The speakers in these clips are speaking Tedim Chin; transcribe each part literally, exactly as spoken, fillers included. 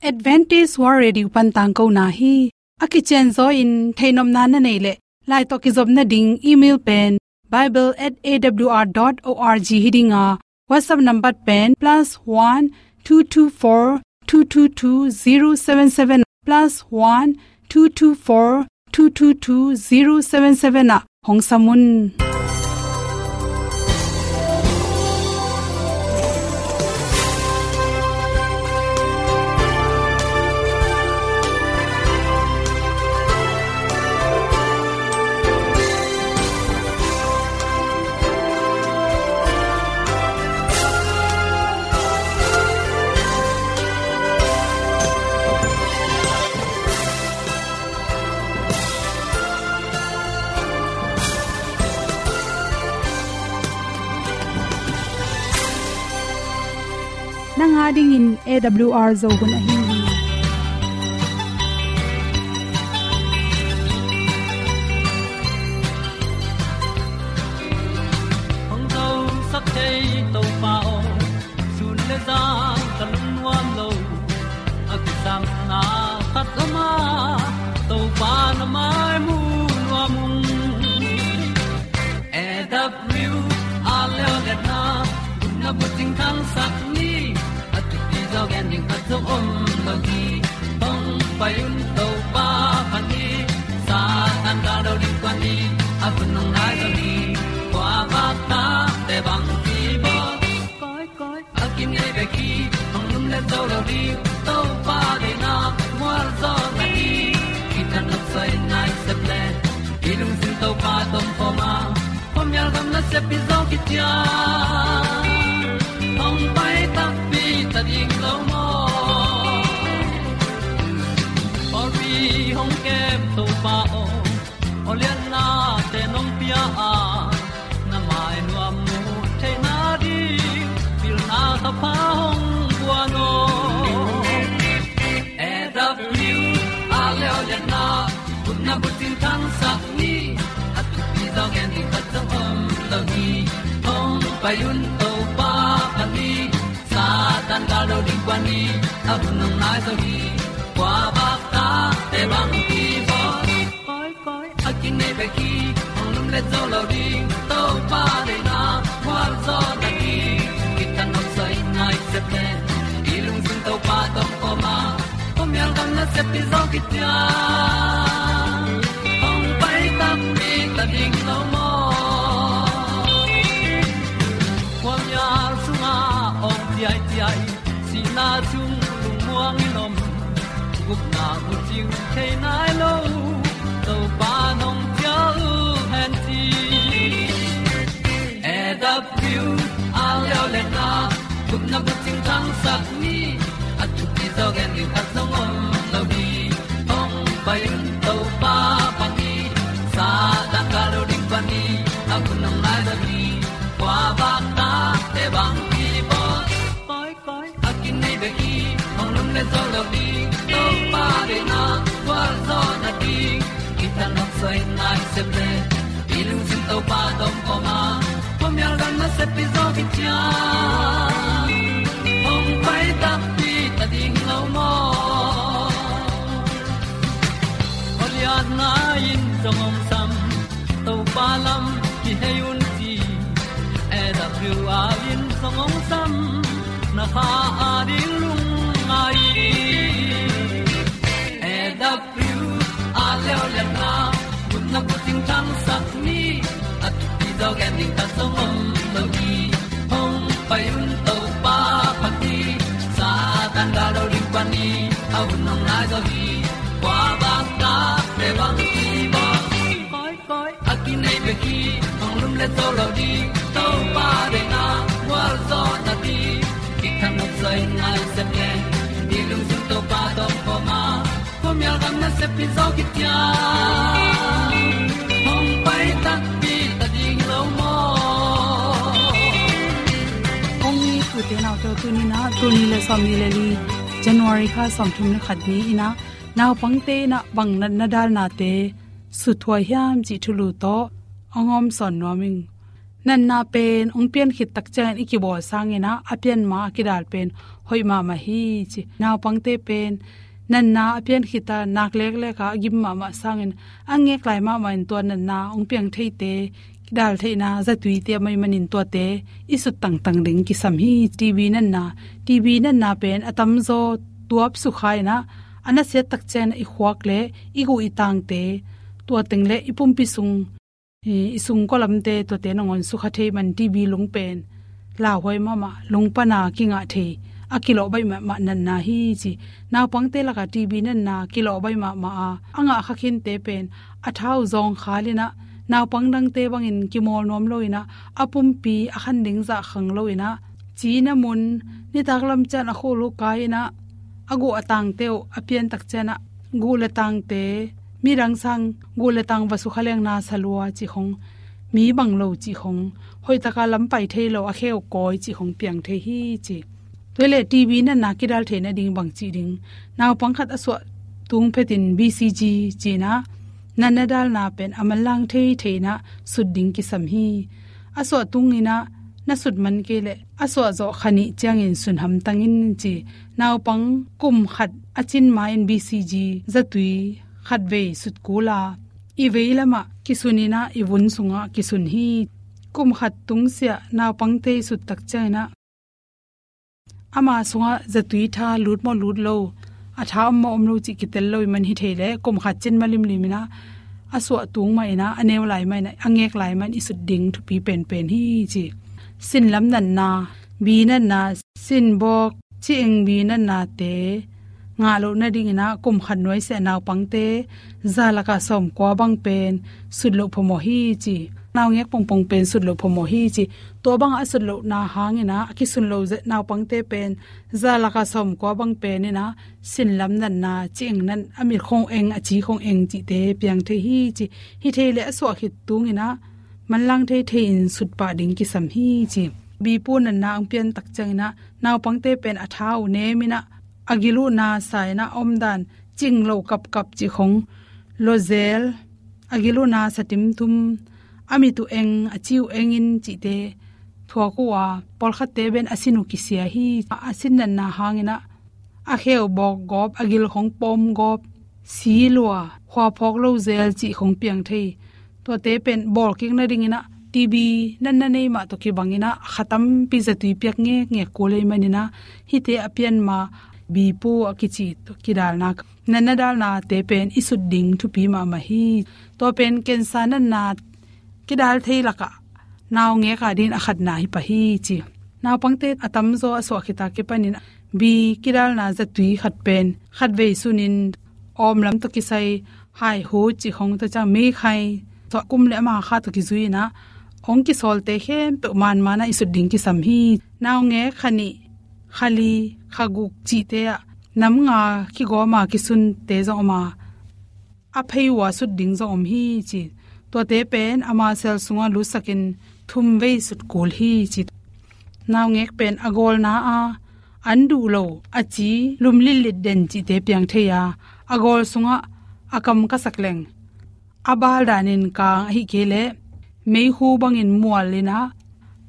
Adventist World Radio pan tangkona hi. A kicianzaw in theihnopna na neih leh, lai tawh kizopna ding email pen bible at A W R dot org hi ding a, WhatsApp number pen plus one two two four two two two zero seven seven, plus one two two four two two two zero seven seven ah hong sam un. Nang a dingin A W R Zo hun ahi hi. Hong zosak thei Topa aw, sun le zan ka lungnuam lo. A kisapna khat om a, Topa na mai mu nuam ung. A W R Leolehna, gupna bucing thangsak ni, a thupi zaw gen ding khat zong om lo hi. Hong pai un Topa phat ni, Satan galdo ding kuan ni, a hun hong nai zo hi. Kua vak takte bang kibawl, koi, koi. A kinei bek hi, hong lumlet zo lo ding, Topa deihna mualzawhna hi. Kithat nopsa in nai sep leh, i lungsim Topa tawh om khawm a, khuamial gam nasep hi zaw kician. Hong pai takpi ta ding lo maw? Pawlpi hong kem Topa aw, awliatnate nong pia a, na mai nuam mu theihna ding pilna thapha hong guan aw. A W R Leolehna, gupna bucing thangsak ni, a thupi zaw gen ding khat zong om lo hi. Hong pai un Topa phat ni, Satan galdo ding kuan ni, a hun hong nai zo hi. Kua vak takte bang kibawl, koi, koi. A kinei bek hi, hong lumlet zo lo ding, Topa deihna mualzawhna hi. Kithat nopsa in nai sep leh, i lungsim Topa tawh om khawm a, khuamial gam nasep hi zaw kician. Hong pai takpi ta ding lo maw? Khuamial sungah awng ciaiciai, sihna sung lungmuang in om, gupna bucing thei nai lo, Topa nong cial hen ci. A W R Leolehna, gupna bucing thangsak ni, a thupi zaw gen ding khat zong om lo hi. Hong pai un Topa phat ni, Satan galdo ding kuan ni, a hun hong nai zo hi. Kua vak takte bang kibawl, koi, koi. A kinei bek hi, hong lumlet zo lo ding, Topa deihna mualzawhna ding. Kithat nopsa in nai sep leh, i lungsim Topa tawh om khawm a, khuamial gam nasep hi zaw kician. Hong pai takpi ta ding lo maw? Awliatna in zong hong sam, Topa lam kihei un ci. A W R in zong hong sam, na kha a ding lungngai. A W R Leolehna, gupna bucing thangsak ni, a thupi zaw gen ding khat zong om lo hi. Hong pai un Topa phat ni, Satan galdo ding kuan ni, a hun hong nai zo hi. Kua vak takte bang kibawl, koi, koi. A kinei bek hi, hong lumlet zo lo ding, Topa deihna mualzawhna ding. Kithat nopsa in nai sep leh, i lungsim Topa tawh om khawm a, khuamial gam nasep hi zaw kician. Hong pai takpi ta ding lo maw? Kong it u te nau te, tuni in ah, tul nih le sawmnih le li, January kha sawmthum le khat ni in ah, naupangte in ah bang natna dalnate suthuai hiam cih thulu tawh hong hawmsawn nuam ing. Natna pen hong pian khit tak ciangin i kibawl sangin ah, a pian ma a kidal pen hoih mahmah hi ci. Naupangte pen natna a pian khit a, nak leklek a, a gim mahmah sangin, a ngek lai mahmah in tua natna hong piang theite, kidal theihna zatui te a mai manin tuate i sut tangtang ding kisam hi. T B natna, T B natna pen a tamzaw tuap sukha in ah, a nasiat tak ciangin ah i khuak le i guh i tangte, tua teng le i pumpi sung, i, i sungkua lamte, tuate nangawn sukha thei man T B lung pen lauhuai mahmah, lung pana kingah thei, a kilawh baih mahmah natna hi ci. Naupangte lakah T B natna kilawh baih mahmah a, a ngah kha khinte pen a tha uh zawngkhal in ah, naupang dangte bangin kimawl nuam lo in ah, a pumpi a khan ding zah khang lo in ah, cina mun, nitak lam ciang a khul uh kai in ah, a guh a tangte uh a pian tak ciang ah, guh le tangte, midang sang guh le tang va sukha leng na sa lua cih khong, mi bang lo cih khong, hoih taka lam pai thei lo, a khe uh kawi cih khong piang thei hi ci. Tua le T B natna kidal theihna ding bang cih ding, naupang khat a suah tung phetin B C G ci in ah, natna dalna pen a manlang thei thei in ah sut ding kisam hi. A suah tung in ah na sut man kei le, a suah zawh kha nih ciangin sun hamtang in ci. Naupang kum khat a cin ma in B C G zatui khatvei sut kul a, i vei lamah kisun in ah, i vun sungah kisun hi. Kum khat tung siah naupangte i sut tak ciangin ah, ama sungah zatui tha lut maw lut lo, a tha om maw om lo cih kitel lo i man hi thei le, kum khat cin ma limlim in ah, a suah tung mah in ah, a neu lai mah in ah, a ngek lai mah in i sut ding thupi penpen hi ci. Sin lam natna, B natna, sin bawk, ci eng B natnate ngah loh nading in ah, kum khat nuai siah naupangte za lakah sawmkua bang pen sut loh phamawh hi ci. Naungek pongpong pen sut loh phamawh hi ci. Tua bang a sut lohna hang in ah, a kisun lo ze-, naupangte pen za lakah sawmkua bang pen in ah, sin lam natna, ci eng nat, a mit khong eng, a ci khong eng cihte piang thei hi ci. Hi thei le a suah khit tung in ah, manlang thei thei in sut pah ding kisam hi ci. B pu natna hong pian tak ciangin ah, naupangte pen a tha uh nem in ah, a gil uh na sa in ah, a omdan cing lo kapkap cih khong, lo zel, a gil uh na sa timthum, a mit uh eng, a ci uh eng in cihte thuak uh a, pawlkhatte pen a sin uh kisia hi. A sin natna hang in ah, a khe uh bawk gawp, a gil khong pawm gawp, si lua, khua phawk lo zel cih khong piang thei. Tuate pen bawl kik nading in ah, T B natna nei mah tawh kibang in ah, kha tampi zatui piak ngekngek kul ei man in ah, hihte a pian ma B pu a kici tawh kidalna, natna dalnate pen i sut ding thupi mahmah hi. Tua pen cancer natna kidal thei lakah naungek a dingin a khatna hi pah hi ci. Naupangte a tamzaw a suah khit a kipanin B kidalna zatui khat pen khatvei sunin, awm lam tawh kisai haihut cih khong, tua ciang meikhai, tua kum le ama kha tawh kizui in ah, hong kisawlte khempeuh manman ah i sut ding kisam hi. Naungek kha nih, kha li, kha guk cihte ah nam nga kigawm a kisunte zong om a, a phei uh a sut ding zong om hi ci. Tuate pen a muscle sungah lutsakin thumvei sut kul hi ci. Naungek pen a gawlna a an duh lo, a ci lum litlit den cihte piang thei a, a gawl sungah a kam ka sak leng, a bal danin kang ahih kei leh meikhu bangin mual in ah,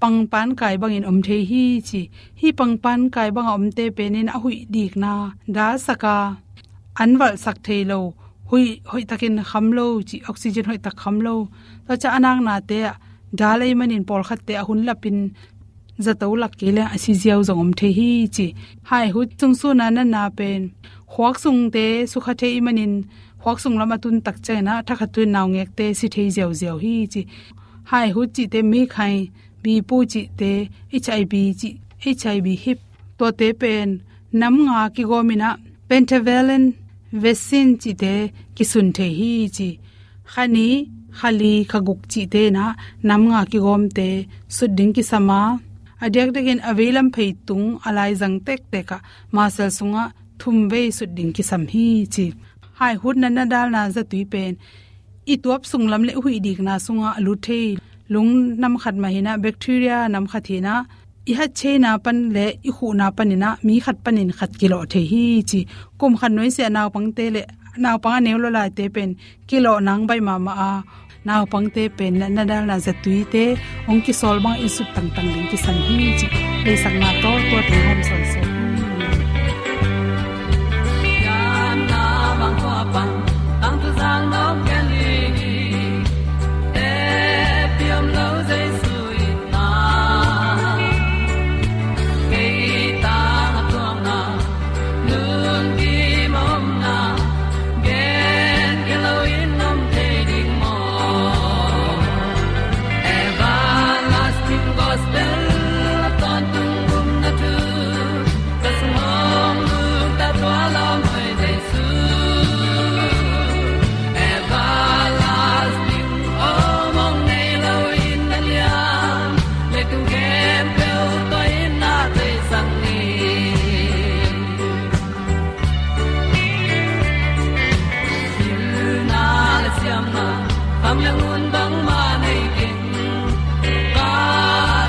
pangpankai bangin om thei hi ci. Hih pangpankai banga omte penin a huih dikna dalsak a, an valhsak thei lo, huih hoihtakin kham lo ci, oxygen hoihtak kham lo. Tua ciang a naknate ah dal ei manin pawlkhatte a hun lapin zato lak kei leng a si ziau zong om thei hi ci. Haihut sungsunna natna pen khuak sungte sukha thei i manin, khuak sung lam a tun tak ciangin ah thakhat tuin naungekte si thei ziauziau hi ci. Haihut cihte, meikhai, B pu cihte, H I V cih, H I V hip, tuate pen nam nga kigawm in ah pentavalent vaccine cihte kisun thei hi ci. Kha nih, kha li, kha guk cihte in ah nam nga kigawmte sut ding kisam a, a diakdiakin a veilam phei tung a laizang tektek ah muscle sungah thumvei sut ding kisam hi ci. Haihut natna dalna zatui pen i tuap sung lam le huih dikna sungah a lut thei. Lung nam khat mah hi in ah, bacteria nam khat hi in ah, i hatcheina pan le i khuhna panin ah mi khat panin khat kilawh thei hi ci. Kum khat nuai siah naupangte le naupang a neu lua laite pen kilawh nang baih mahmah a, Naupangte pen natna dalna zatuite hong kisawl bang i sut tangtang ding kisam hi ci. Leisakna tawh tua teng hawm sawnsawn hi. Pianna bang khua pan tangtuzang nop gen ling hi. Te piam lo Jesu itna kei tang a tuakna Nun kim a omna gen kei loin om thei ding maw? Everlasting Gospel a tawntung gupna thu ka sung hong nungta tua lawm hoi Jesu. Everlasting om hong nei loin na liam, leitung khempeuh tua in na theisak ni. Pilna le siamna, kham le ngun bangmah nei keng, ka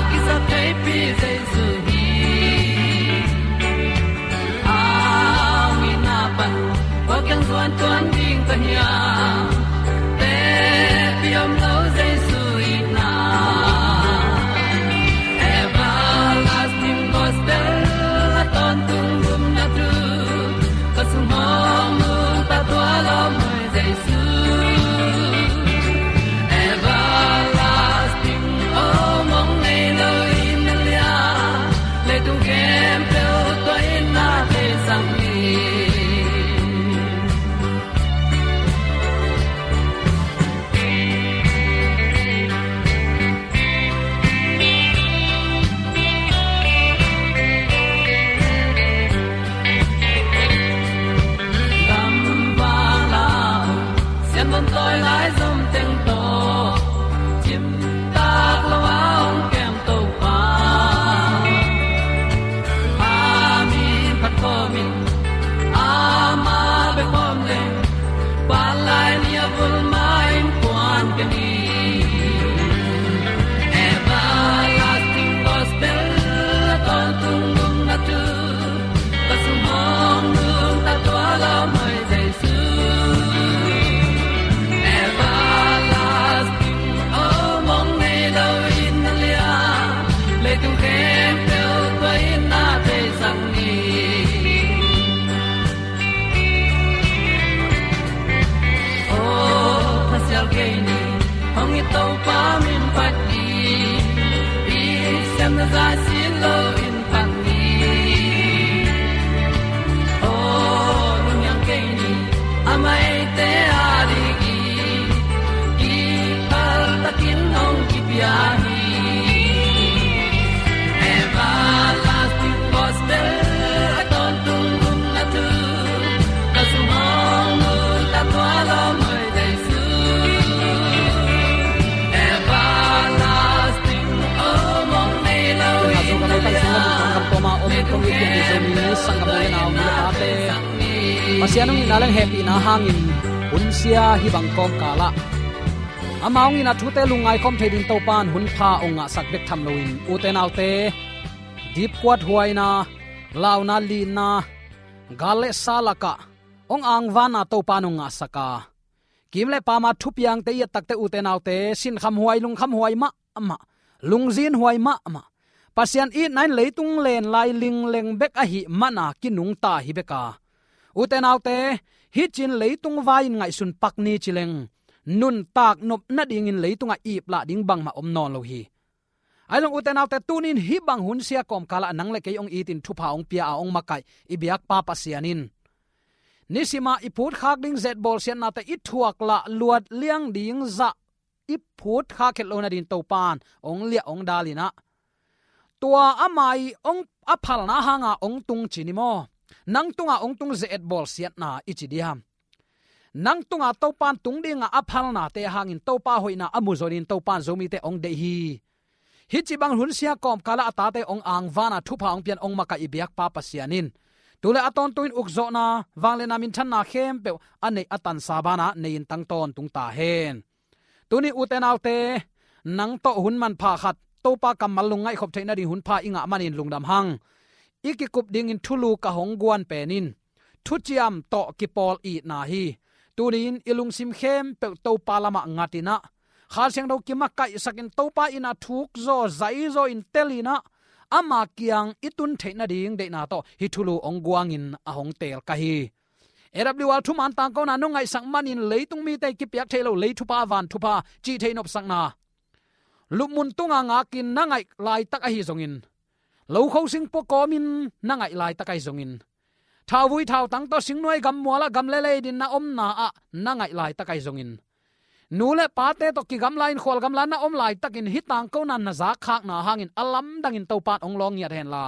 kisap theipi Jesu hi. A ong itna pan kua kiang zuan tuan ding ka hiam? Te piam lo Jesu itna. Everlasting Gospel a tawntung gupna thu ka sung hong nungta tua lawm hoi Jesu. Everlasting om hong nei loin na liam, leitung khempeuh tua in na theisak ni. Gamvang la sianbon tawi lai zom teng tawh cimtak lo a hong kem Topa. A min phat khawmin ama bek om leng, palai ni a vul ma in puan ka ni. Everlasting Gospel a tawntung gupna thu ka sung hong nungta tua lawm hoi Jesu. Everlasting om hong nei loin na liam, leitung khempeuh tua in na theisak ni. Aw, pasial kei ni, hong it Topa min phat ni, i siamna zah sin loin phat ni. Aw, lunghiang kei ni, a maite a ding hi, kiphal takin hong kipia hi. Everlasting Gospel a tawntung gupna thu ka sung hong nungta tua lawm hoi Jesu. Everlasting om hong nei loin na liam, leitung khempeuh tua in na theisak ni. Pasian hong itna leng hehpihna hangin hun sia hih bang kawmkal ah ama hong itna thute lungngai khawm thei ding Topa in hun pha hong ngahsak bek tham loin, ute naute, dipkuat huaina, launa lina, gal le sa lakah hong angvanna Topa in hong ngahsak a, kim le pama thupiangte i et takte, ute naute, sinkham huai, lungkham huai mahmah, lungzin huai mahmah, Pasian itna in leitung len lai lingleng bek ahih mana kinungta hi bek a, ute naute, hih cin leitung vai-in ngaihsun pak ni ci leng, nuntak nop nadingin leitungah iplah ding bangmah om nawn lo hi. Ahi zong ute naute, tuni in hih bang hun sia kawmkal ah nang le kei hong itin thupha hong pia a hong makaih i biakpa Pasian in nisima i phutkhak ding zet bawlsiatnate i thuak lah luat liang ding zah i phutkhak het lo nadin Topa in hong liah hong dal in ah, tua ama i hong a phalna hanga hong tung ci ni maw? Nang tunga hong tung zet bawlsiatna i ci diam? Nang tunga Topa in tung dinga a phalnate hangin Topa hoihna a mu zonin Topa in Zomite hong deih hi. Hih ci bang hun sia kawmkal ah a tate hong angvana thupha hong pian hong makaih i biakpa Pasian in tu le a tawntung in ukzawhna, vangliatna, minthanna khempeuh a neih a tansa banah nei in tang tawntung ta hen. Tuni ute naute, nang tawh hun manpha khat, Topa kammal lungngaih khop theih nading hun pha i ngah manin lungdam hang. I kikup dingin thulu ka hong guan pen in thuciam tawh kipawl itna hi. Tuni in i lungsim khempeuh Topa lamah ngat in ah, Kha Siangtho kimakaihsakin Topa in a thuk zaw, zai zaw in tel in ah, ama kiang i tun theih nading deihna tawh hih thulu hong guangin a hong teel ka hi. A W R thuman tangkona nong ngaihsak manin leitung mite kipiak theih loh lei thupha, van thupha, cih theih nopsakna lupmun tunga ngakin na ngaih laitak ahi zongin, lokho sing pua kawmin na ngaih laitak ahi zongin, thauvui thautang tawh singnuai gammualah gam le lei din na omna ah na ngaih laitak ahi zongin, nu le pate tawh kigamla in khual gamla na om laitakin hih tangkona na zakkhakna hangin a lamdangin Topa in hong lawng ngiat henla,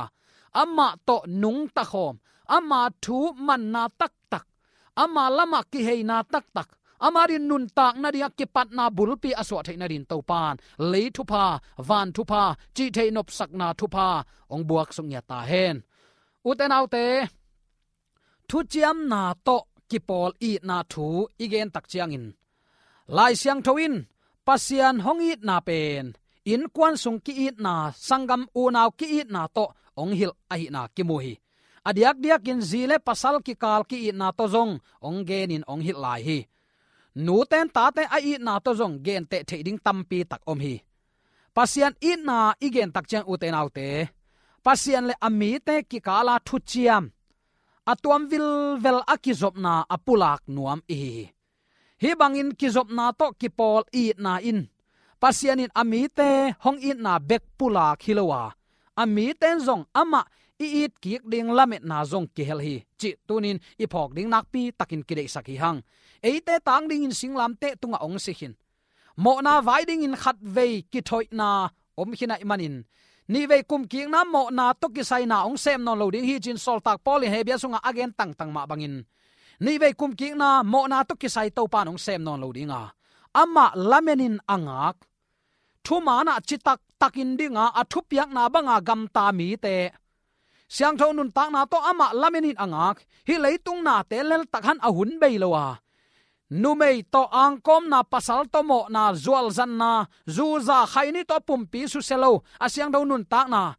amah tawh nungta khawm, ama thu manna taktak, ama lamah kiheina taktak, ama din nuntak nadingah kipatna bulpi a suah theih nadin Topa in lei thupha, van thupha, cih theih nopsakna thupha hong buaksuk ngiat ta hen. Ute naute, thuciamna tawh kipawl itna thu i gen tak ciangin, Lai Siangtho in Pasian hong itna pen innkuan sung ki-itna, sanggam unau ki-itna tawh hong hilh ahihna kimu hi. A diakdiakin zi le pasal kikal ki-itna tawh zong hong genin hong hilh lai hi. Nute in tate a itna tawh zong genteh theih ding tampi tak om hi. Pasian itna i gen tak ciang, ute naute, Pasian le a mite kikala thuciam a tuam vilvel a kizopna a pulak nuam i hi hi. Hih bangin kizopna tawh kipawl itna in Pasian in a mite hong itna bek pulak hi lo a, a mite in zong amah i it kik ding lametna zong kihel hi, cih tunin i phawk ding nakpi takin kideihsak hi hang. Eite tang dingin singlamteh tungah hong si khin, mawhna vai dingin khatvei kithoihna om khin ahih manin, nihvei kumkikna mawhna tawh kisai na hong sem nawn lo ding hi, ci-in sawltak Paul in Hebru sungah a gen tangtang mah bangin, nihvei kumkikna mawhna tawh kisai Topa in hong sem nawn lo ding a, amah lamenin a ngak, thumanah citak takin dinga a thupiakna banga gamta mite, siangtho nuntakna tawh amah lamenin a ngak, hih leitung nate leltak han a hun bei lo a, numei tawh angkawmna, pasal tawh mawhna, zualzanna, zuza, khaini tawh a pumpi susia lo, a siangtho nuntakna,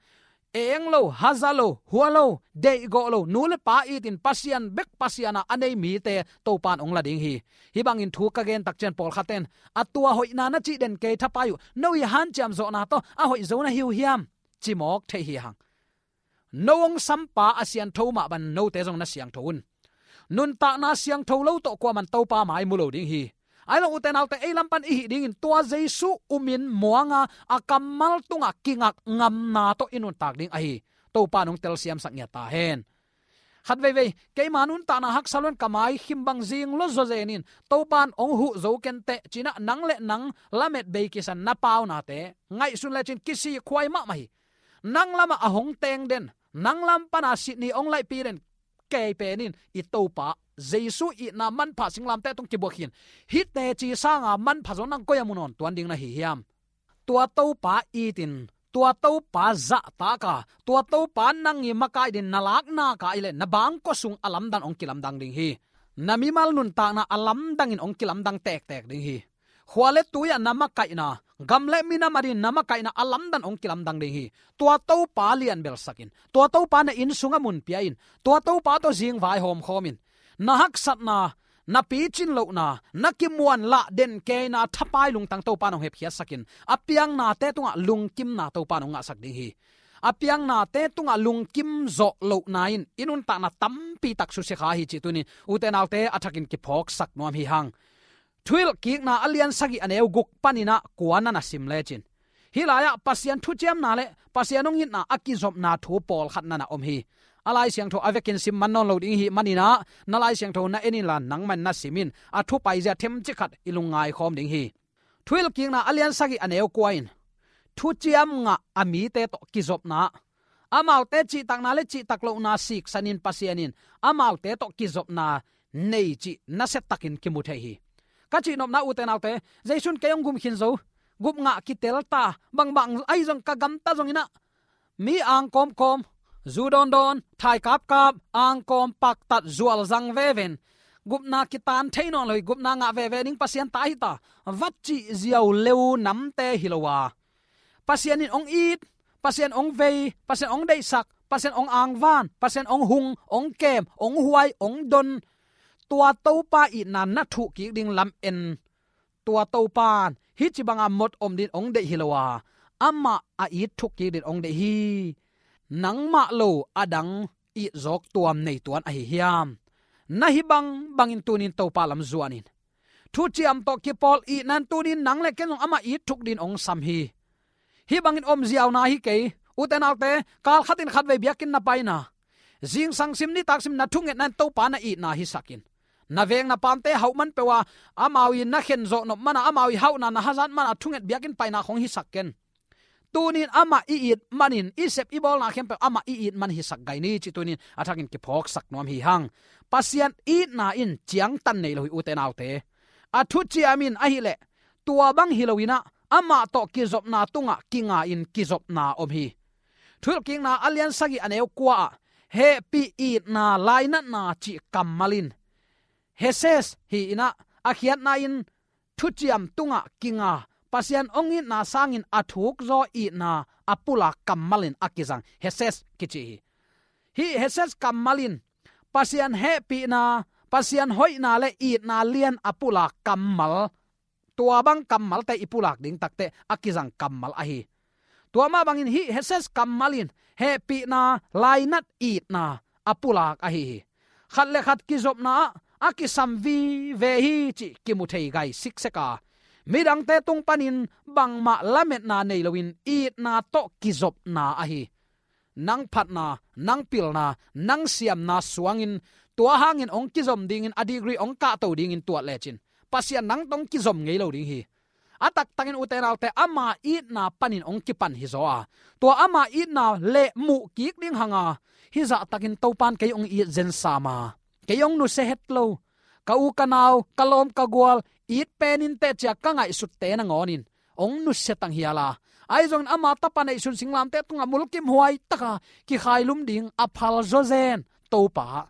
eng lo, haza lo, hua lo, deihgawh lo, nu le pa itin Pasian bek Pasian a a nei mite Topa in hong la ding hi. Hih bangin thu ka gen tak ciang pawlkhatte in, a tua hoihna na cih den kei, thapai uh, no i hanciam zawhna tawh a hoih zo na hi uh hiam, ci mawk thei hi hang. No hong sampa a siangtho mah bangin note zong na siangtho un. Nuntakna siangtho lo tawh kuaman Topa mai mu lo ding hi. Ahi zong, ute naute, ei lam pan i hih dingin tua Jesu umin muanga a kammal tungah kingak ngamna tawh i nuntak ding ahi Topa in hong telsiamsak ngiat ta hen. Khat veivei, keima nuntakna haksa lo-in ka mai khim bang zing lo zaw zenin, Topa in hong huh zo kenteh, ci-in ah nang le nang lamet bei kisan na paunate ngaihsun lecin kisik huai mahmah hi. Nang lamah a hong teng den, nang lam pana Sydney hong laihpi den kei pen in i Topa Jesu itna manpha singlamteh tung kibuak khin. Hih teci sanga manpha zong nang koi-ah mu nawn tuan ding na hi hiam? Tua Topa itin, tua Topa zahtak a, tua Topa nang i makaih dingin na lakna ka ahih leh, na bangkua sung a lamdang hong kilamdang ding hi. Na mimal nuntakna a lamdangin hong kilamdang tektek ding hi. Khua le tui-ah na makaihna, gam le minam adingin na makaihna a lamdang hong kilamdang ding hi. Tua Topa lianbelsak in, tua Topa na inn sungah mun pia in, tua Topa tawh zing vaihawm khawm in, na haksatna, na picin lohna, na kimuanlah den keina thapai lungtang Topa in hong hepkhiatsak in, a piang nate tungah lungkimna Topa in hong ngahsak ding hi. A piang nate tungah lungkim zawh lohna in i nuntakna tampi tak susia kha hi cih tuni-in ute naute a thakin kiphawksak nuam hi hang. Thuhilhkikna a lian sagih a neu guk panin ah kua na na sim lecin, hih lai-ah Pasian thuciamna le Pasian hong itna a kizopna thu pawlkhat na na om hi. A Lai Siangtho a vekin sim man nawn lo ding i hih manin ah, na Lai Siangtho na en inla nangman na sim in, a thu paizia themcik khat i lungngai khawm ding hi. Thuhilhkikna a lian sagih a neu kua in, thuciam ngah a mite tawh kizopna, amaute cihtakna le cihtak lohna siksanin Pasian in amaute tawh kizopna nei cih nasiatakin kimu thei hi. Ka cihnopna, ute naute, Jesu in kei hong gum khin zo, gup ngah kitel ta, bangbang ahi zong ka gamta zongin ah, mi angkawmkawm, zu dawndawn, thai kapkap, angkawm, paktat, zualzang veve in, gupna kitan thei nawn lo hi, gupna ngah veve ding Pasian ta hi ta, va cih ziau leu namte hi lo a, Pasian in hong it, Pasian hong vei, Pasian hong deihsak, Pasian hong angvan, Pasian hong hung, hong kem, hong huai, hong don, tua Topa itna na thuh kik ding lam en. Tua Topa in hih ci banga mot om din ong deih hi lo a, amah a it thuk kik din ong deih hi. Nangmah lo a dang it zawk tuam nei tuan ahi hiam? Na hih bangbangin tunin Topa lam zuanin, thuciam tawh kipawl itna in tunin nang le ken zong amah it thuk din ong sam hi. Hih bangin om ziau na hi kei. Ute naute, kal khatin khatvei biakinn na paina, zingsang sim nitak sim na thungetna in Topa na itna hisak in. Na veng na pamte hauh man peuh a, amau in na khen zawh nop mana, amau i hauhna na hazat mana thunget biakinn paina khong hisak ken. Tunin amah i it manin, i sep i bawlna khempeuh amah i it man hisak gai ni ci tunin a thakin kiphawksak nuam hi hang. Pasian itna in ciangtan nei lo hi ute naute. A thuciam in ahileh tua bang hi loinah amah tawh kizopna tungah kinga in kizopna om hi. Thuhilhkikna a lian sagih a neu kua ah hehpih itna lainatna cih kammal in Heses hi inah a khiatna in thuciam tungah kinga, Pasian ong itna sangin a thukzaw itna a pulak kammal in a kizang Heses kici hi. Hih Heses kammal in Pasian hehpihna, Pasian hoihna le itna lian a pulak kammal, tua bang kammalte i pulak ding takte a kizang kammal ahi. Tua mah bangin hih Heses kammal in hehpihna, lainat, itna a pulak ahi hi. Khat le khat kizopna ah a kisam vive hi cih kimu thei gai siksek a, midangte tung panin bangmah lametna nei loin itna tawh kizopna ahi. Nang phatna, nang pilna, nang siamna suangin tua hangin ong kizom dingin a degree ong kahto dingin tuat lecin Pasian nang tawh ong kizom ngei lo ding hi. A taktakin ute naute ama itna panin ong kipan hi zaw a, tua ama itna le muh kik ding hanga, hih zahtakin Topan kei ong it zen sam a, kei ong nusia het lo, ka u ka nau, ka lawm ka gual, it pen in teh cia ka ngaihsutte nangawnin ong nusia tang hial a, ahi zongin ama tapa neihsun singlamteh tungah mulkimhuai taka kikhailum ding a phal zawzen Topa,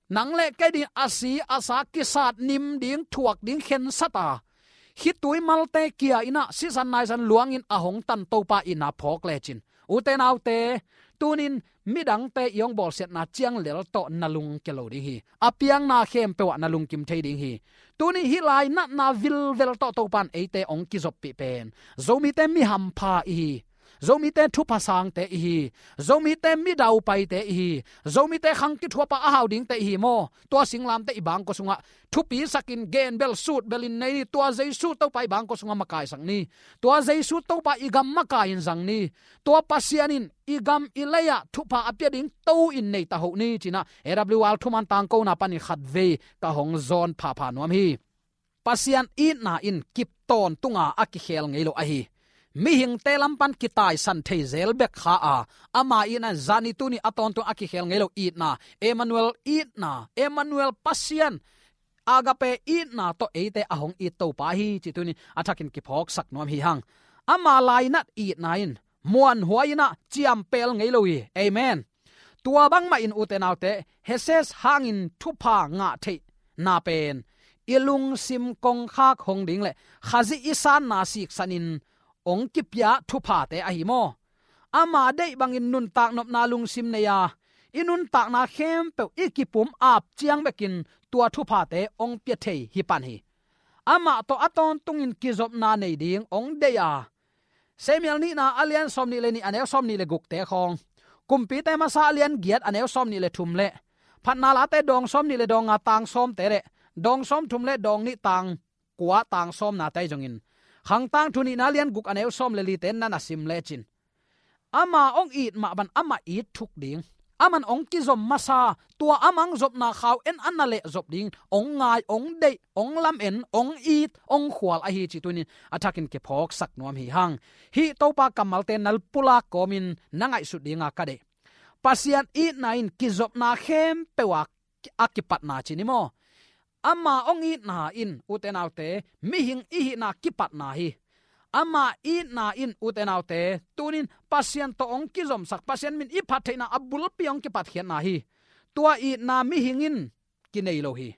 nang le kei ding a si a sa kisat nim ding, thuak ding khensat a, khitui malte kia inah sisan naisan luangin a hong tan Topa itna phawk lecin, ute naute, tunin midangte i hong bawlsiatna ciang lel tawh na lungkia lo ding hi. A piangna khempeuh ah na lungkim thei ding hi. Tunin hih lainatna vilvel tawh Topan eite ong kizoppih pen, Zomite mi hampha i hi. Zomite thupha sangte i hi. Zomite mi daupaite i hi. Zomite khang kithuapa a hau dingte i hi maw? Tua singlamte i bangkua sungah thupi sakin, gen bel sut belin nei ni. Tua Jesu Topa i bangkua sungah makaisak ni. Tua Jesu Topa i gam makai in zang ni. Tua Pasian in i gam i lei-ah thupha a pia ding to in nei ta hoh ni cinah A W R thuman tangkona panin khatvei ka hong zawn phapha nuam hi. Pasian itna in kip tawntunga a kikhel ngei lo ahi. Mihingte lam pan kitaisan thei zel bek kha a, ama itna in zani tuni a tawntung a kikhel ngei lo itna, Emmanuel itna, Emmanuel Pasian, Agape itna tawh eite a hong it Topa hi cih tunin a thakin kiphawksak nuam hi hang. Ama lainat itna in muanhuai inah ciampel ngei lo hi. Amen. Tua bangmah in ute naute, Heses hangin thupha ngah theihna pen i lungsim kongkhak hong ding le Khazih i sanna siksanin ong kipia thuphate ahi maw? Ama deih bangin nuntak nopna lungsim nei a, i nuntakna khempeuh i kipum ap ciang bekin tua thuphate ong pia thei hi pan hi. Amah tawh a tawntungin kizopna nei ding ong deih a, Samuel nihna a lian sawmnih le nih a neu sawmnih le gukte khawng, Kumpite masa a lian giat a neu sawmnih le thum le Phatna Late dawng sawmnih le dawng nga tang sawmte le dawng sawmthum le dawng nih tang kua tang sawmnate zongin, Khangtangthu nihna a lian guk a neu sawm le lite na na sim lecin, ama ong it mah ban amah it thuk ding, aman ong kizom masa, tua amang zopna khau en a na leh zop ding ong ngai, ong deih, ong lamen, ong it, ong khual ahi cih tunin a thakin kiphawksak nuam hi hang. Hih Topa kammalte na pulak kawmin na ngaihsut dinga ka deih. Pasian itna in kizopna khempeuh a a kipatna ci ni maw? Ama ong itna in, ute naute, mihing i hihna kipatna hi. Ama itna in, ute naute, tunin Pasian tawh ong kizomsak, Pasian min i phat theihna a bulpi ong kipatkhiatna hi. Tua itna mihing in kinei lo hi.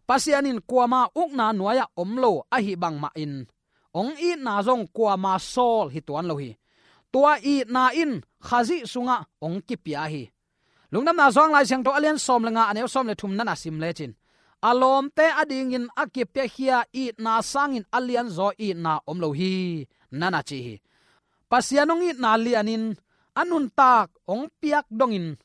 Pasian in kuama ukna nuai-ah om lo ahi bangmah in, ong itna zong kuama sawl hi tuan lo hi. Tua itna in Khazih sungah ong kipia hi. Lungdamna Johan Lai Siangtho a lian sawm le nga a neu sawm le thum na na sim lecin, a lawmte adingin a kipiakhia itna sangin a lianzaw itna om lo hi, na na ci hi. Pasian hong itna lianin a nuntak hong piak dongin,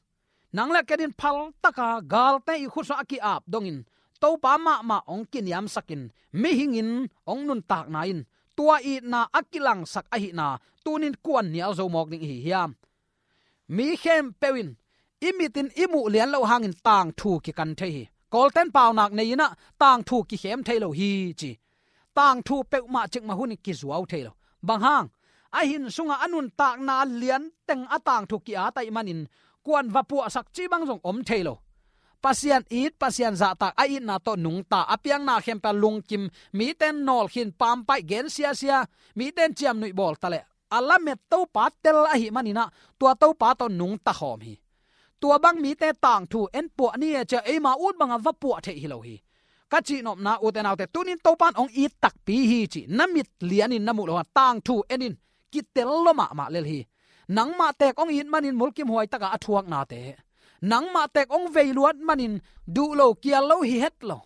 nang le ken in phaltaka galte i khut sungah a ki-ap dongin Topa mahmah hong kiniamsakin, mihingin hong nuntakna in tua itna a kilangsak ahihna tunin kuan nial zo mawk ding i hi hiam? Mi khempeuh in i mitin i muh lian loh hangin tangthu kikan thei hi. Kawlten paunak nei-in ah tangthu kikhem thei lo hi ci. Tangthu peuhmah cikmah hunin kizuau thei lo. Bang hang? A hin sungah a nuntakna lianteng a tangthu ki-at ahih manin kuan va puahsak cih bang zong om thei lo. Pasian it, Pasian zahtak, a itna tawh nungta, a piakna khempeuh lungkim, mite nawl khin, pampaih, gen siasia, mite ciamnuih bawl ta leh a lamet Topa tel ahih manin ah tua Topa tawh nungta khawm hi. Tua bang mite tangthu en puah ni e ci-a eima ut bangah va puah theih hi lo hi. Ka cihnopna, ute naute, tunin Topa in hong it takpi hi cih na mit lianin na muh loh hang tangthu en in, kitel lua mahmah lel hi. Nangmah teek hong it manin mulkimhuai takah a thuaknate, nangmah teek hong vei luat manin duh lo kial lo hi het lo,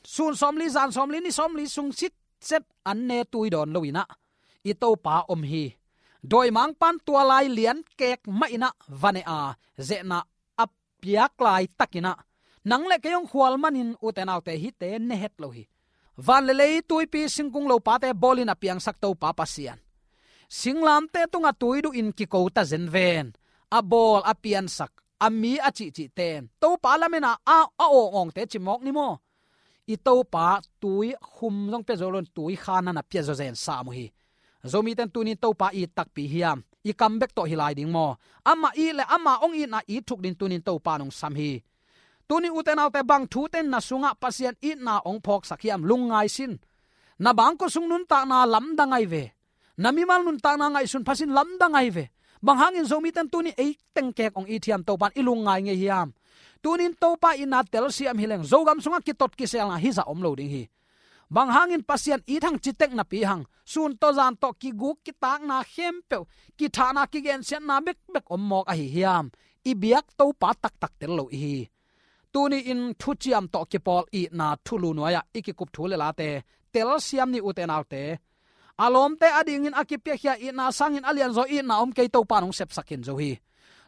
sun sawmli, zan sawmli, ni sawmli sung sitset an ne tui dawn lo-in ah i Topa om hi. Dawimangpa'n tua lai lian kek mah in ah va ne a, zehna a piak laitakin ah nang le kei hong khual manin, ute naute, hihte ne het lo hi. Van le lei, tuipi, singkung, lopate bawlin a piangsak Topa Pasian, singlamteh tungah tui duhin kiko ta zen ven. A bawl, a piansak, a mi a cihcihte in Topa lametna a, a awngawngte ci mawk ni maw? I Topa tui khum zong pia zo loin tui kha na na pia zawzen sam uh hi. Zomite in tunin Topa it takpi hiam? I kam bek tawh hi lai ding maw? Amah it le ama hong itna it thuk dingin tunin Topa in hong sam hi. Tunin, ute naute, bang thute in na sungah Pasian itna hong phawksak hiam? Lungngai sin. Na bangkua sung nuntakna lamdang ahi ve. Na mimal nuntakna ngaihsun phasin lamdang ahi ve. Bang hangin Zomite in tunin ei teng kek hong it hiam, Topa in i lungngai ngei hiam? Tunin Topa itna telsiam hi leng Zogam sungah kitot kiselna hizah om lo ding hi. Bang hangin Pasian it hang ci tek napi hang, sun tawh zan tawh kiguk kitakna khempeuh, kithahna, kigensiatna bekbek om mawk ahi hiam? I biak Topa taktak tel lo i hi. Tuni-in thuciam tawh kipawl itna thulu nuai-ah i kikup thu le late telsiam ni, ute naute. A lawmte adingin a kipiakhia itna sangin a lianzaw itna om kei, Topa in hong sepsak khin zo hi.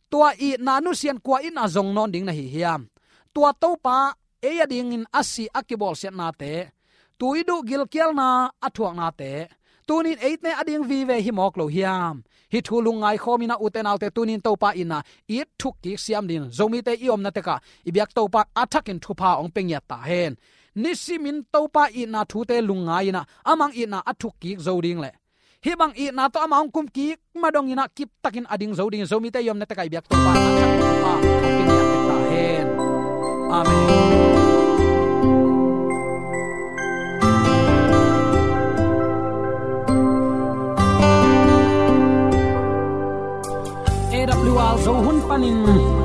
Tua itna nusia in kua itna zong nawn ding na hi hiam? Tua Topa ei adingin a si, a kibawlsiatnate, tuiduh, gilkialna a thuaknate, tunin eite ading vive hi mawk lo hiam? Hih thu lungngai khawm in ah, ute naute, tunin Topa itna it thuk kik siam dingin Zomite i omna tekah i biak Topa in a thakin thupha hong pia ngiat ta hen. Nisimin Topa itna thute lungngai in ah, amah itna a thuk kik zo ding le hih bang itna tawh amah hong kum kik ma dongin ah kiptakin a ding zo dingin Zomite i omna tekah i biak Topa in a thakin thupha hong pia ngiat ta hen. Amen. A W R Zo hun panin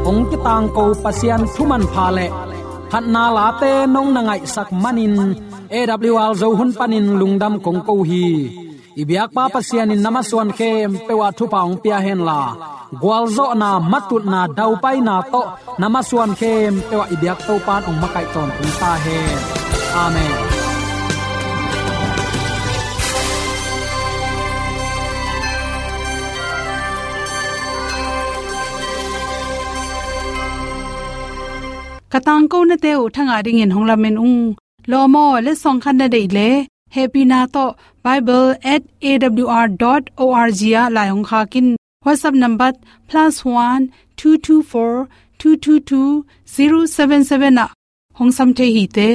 hong kitangko Pasian thu manpha le phatna late nong na ngaihsak manin A W R Zo hun panin lungdam kong ko hi. I biakpa Pasian in na masuan khempeuh ah thupha hong pia henla, gualzawhna, matutna, daupaina tawh na masuan khempeuh ah i biak Topa in hong makaih tawntung ta hen. Amen. Ka tangkonate uh thangah dingin hong lamen ung. Lawm aw, letsong khat na deih leh, hehpihna tawh bible at A W R dot O R G ah lai hong khak in. WhatsApp number plus one two two four two two two zero seven seven ah hong sam thei hi te.